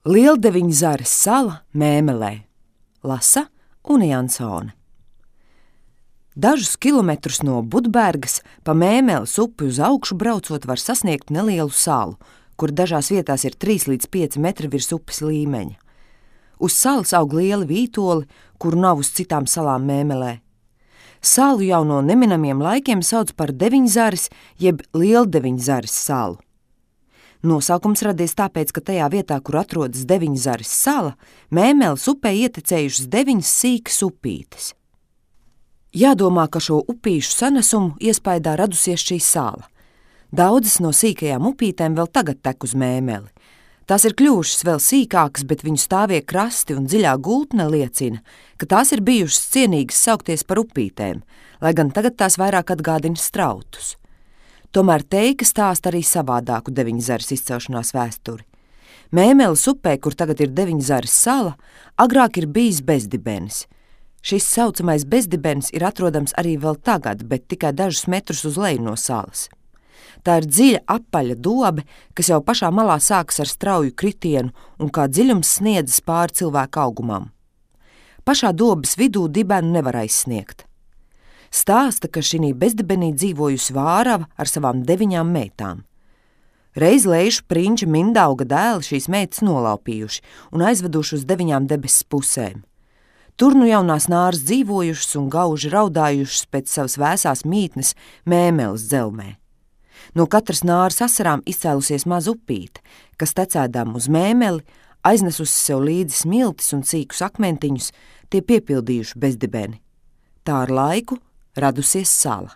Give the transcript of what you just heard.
Lieldeviņzares sala Mēmelē. Lasa Une Jansone. Dažus kilometrus no Budbergas pa Mēmeles upi uz augšu braucot var sasniegt nelielu salu, kur dažās vietās ir 3 līdz 5 metri virs upes līmeņa. Uz salas aug lieli vītoli, kuru nav uz citām salām Mēmelē. Salu jau no neminamiem laikiem sauc par Deviņzares jeb Lieldeviņzares salu. Nosaukums radies tāpēc, ka tajā vietā, kur atrodas Deviņzares sala, Mēmeles upē ietekmējušas 9 sīkas upītes. Jādomā, ka šo upīšu sanesumu iespaidā radusies šī sala. Daudzas no sīkajām upītēm vēl tagad tek uz Mēmeli. Tās ir kļuvušas vēl sīkākas, bet viņu stāvie krasti un dziļā gultne liecina, ka tās ir bijušas cienīgas saukties par upītēm, lai gan tagad tās vairāk atgādina strautus. Tomēr teika stāsta arī savādāku Deviņzares izcelšanās vēsturi. Mēmeles upē, kur tagad ir Deviņzares sala, agrāk ir bijis bezdibenis. Šis saucamais bezdibenis ir atrodams arī vēl tagad, bet tikai dažus metrus uz leju no salas. Tā ir dziļa apaļa dobe, kas jau pašā malā sākas ar strauju kritienu un kā dziļums sniedzas pāri cilvēka augumam. Pašā dobes vidū dibenu nevar aizsniegt. Stāsta, ka šī bezdibenī dzīvojusi vārava ar savām 9 meitām. Reiz Leišu prinča Mindauga dēli šīs meitas nolaupījuši un aizveduši uz 9 debesis pusēm. Tur nu jaunās nāras dzīvojušas un gauži raudājušas pēc savas vēsās mītnes Mēmeles dzelmē. No katras nāras asarām izcēlusies maza upīte, kas tecēdām uz Mēmeli, aiznesusi sev līdzi smiltis un cīkus akmentiņus, tie piepildījuši bezdibeni. Tā ar laiku radusies sala.